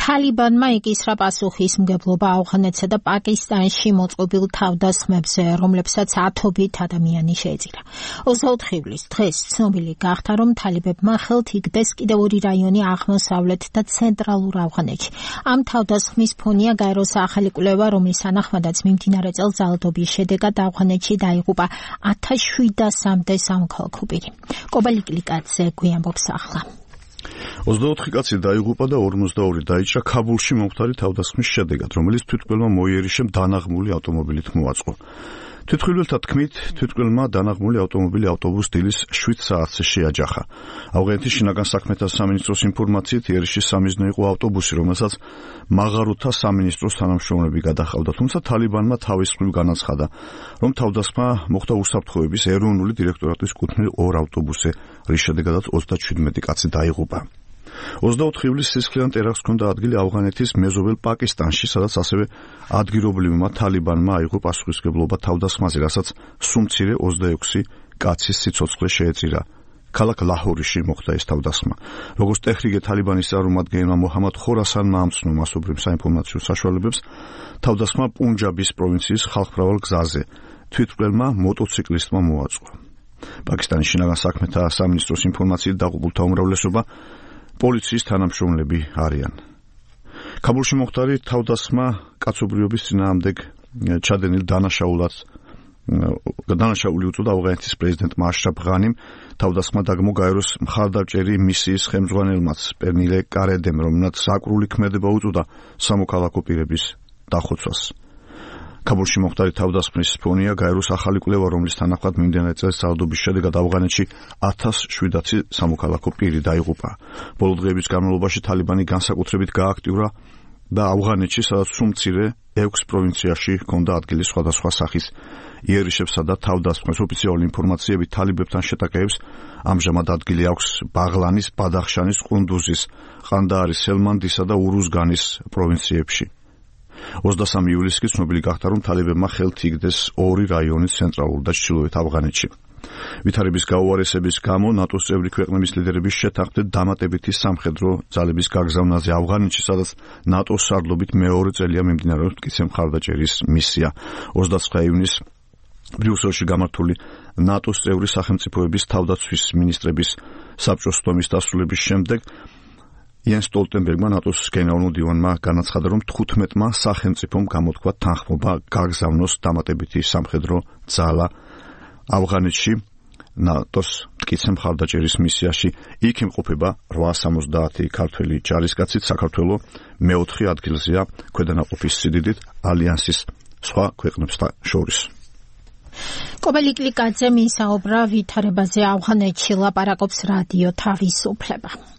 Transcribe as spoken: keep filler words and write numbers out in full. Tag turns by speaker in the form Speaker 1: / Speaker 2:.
Speaker 1: თალიბანმა იკისრა პასუხისმგებლობა ავღანეთსა და პაკისტანში მოწყობილ თავდასხმებზე, რომლებსაც ათობით ადამიანი შეეწირა. ოცდაოთხ ივლისს დღეს ცნობილი გახდა, რომ თალიბებმა ხელთ იგდეს კიდევ ორი რაიონი აღმოსავლეთ და ცენტრალურ ავღანეთში. ამ თავდასხმის ფონია გაეროს ახალი კვლევა, რომლის თანახმადაც მიმდინარე წელს ძალადობის შედეგად ავღანეთში დაიღუპა ათას შვიდასამდე სამოქალაქო პირი. კობალიკლიკაძე გვიამბობს ახლა.
Speaker 2: ოცდაოთხი კაცი დაიღუპა და ორმოცდაორი დაიჭრა ქაბულში მომხდარი თავდასხმის შედეგად, რომელიც თვითმკვლელმა მოიერიშემ დანაღმული ავტომობილით მოაწყო. თვითმკვლელთა თქმით, თვითმკვლელმა დანაღმული ავტომობილი ავტობუს დილის შვიდ საათზე შეაჯახა. ავღანეთის შინაგან საქმეთა სამინისტროს ინფორმაციით, იერიშის სამიზნე იყო ავტობუსი, რომელსაც მაღაროთა სამინისტროს თანამშრომლები გადაჰყავდა, თუმცა თალიბანმა თავის მხრივ განაცხადა, რომ თავდასხმა მოხდა უსაფრთხოების ეროვნული დირექტორატის კუთვნილ ორ ავტობუსზე, რის შედეგადაც ოცდაჩვიდმეტი კაცი დაიღუპა. ოცდაოთხ ივლისს სისხლიან ტერაქტს ჰქონდა ადგილი ავღანეთის მეზობელ პაკისტანში, სადაც ასევე ადგილობრივმა თალიბანმა აიღო პასუხისმგებლობა თავდასხმაზე, რასაც სუმცირე ოცდაექვსი კაცის სიცოცხლე შეეწირა. ქალაქ ლაჰორიში მოხდა ეს თავდასხმა. როგორც ტეჰრიგე თალიბანის წარმომადგენელმა მოჰამად ხორასანმა ამცნო მასობრივ საინფორმაციო საშუალებებს, თავდასხმა პუნჯაბის პროვინციის ხალხმრავალ გზაზე თვითმკვლელმა მოტოციკლისტმა მოაწყო. პაკისტანის შინაგან საქმეთა სამინისტროს ინფორმაციით დაღუპულთა უმრავლესობა პოლიციის თანამშრომლები არიან. ქაბულში მომხდარი თავდასხმა კაცობრიობის წინააღმდეგ ჩადენილ დანაშაულად დანაშაული უწოდა ავღანეთის პრეზიდენტმა აშრაფ ღანიმ. თავდასხმა დაგმო გაეროს მხარდამჭერი მისიის ხელმძღვანელმაც პერნილე კარედემ, რომელმაც საკრული ქმედება უწოდა სამოქალაქო პირების დახოცვას. ქაბულში მომხდარი თავდასხმის ფონია გაეროს ახალი კვლევა, რომლის თანახმად მიმდინარე წელს ძალადობის შედეგად ავღანეთში ათას შვიდაცი სამოქალაქო პირი დაიღუპა. ბოლო დღეების განმავლობაში თალიბანი განსაკუთრებით გააქტიურა და ავღანეთში, სადაც სუმცირე ექვს პროვინციაში ჰქონდა ადგილი სხვადასხვა სახის იერიშებსა და თავდასხმებს. ოფიციალური ინფორმაციებით თალიბებთან შეტაკებებს ამჟამად ადგილი აქვს ბაღლანის, ბადახშანის, ყუნდუზის, ყანდაარის, ჰელმანდისა და ურუზგანის პროვინციებში. ოცდასამი ივლისს კი ცნობილი გახდა, რომ თალიბებმა ხელთ იგდეს ორი რაიონი ცენტრალურ და ჩრდილოეთ ავღანეთში. ვითარების გაუარესების გამო ნატოს წევრი ქვეყნების ლიდერების შეთანხმდით დამატებითი სამხედრო ძალების გაგზავნაზე ავღანეთში, სადაც ნატოს სარდლობით მეორე წელია მიმდინარეობს მტკიცე მხარდაჭერის მისია. ოცდაცხრა ივნისს ბრიუსელში გამართული ნატოს წევრი სახელმწიფოების თავდაცვის მინისტრების საბჭოს სტომის დასრულების შემდეგ იენს სტოლტენბერგმა ნატოს გენერალურ მდივანმა განაცხადა, რომ თხუთმეტმა სახელმწიფომ გამოთქვა თანხმობა გაგზავნოს დამატებითი სამხედრო ძალა ავღანეთში ნატოს მტკიცე მხარდაჭერის მისიაში. იქ იმყოფება რვაას სამოცდაათი ქართველი ჯარისკაცით. საქართველო მეოთხე ადგილზეა ქვედანაყოფის სიდიდით ალიანსის სხვა ქვეყნებთან შორის.
Speaker 1: კობალიკლიკაძე მისაუბრა ვითარებაზე ავღანეთში, ლაპარაკობს რადიო თავისუფლება.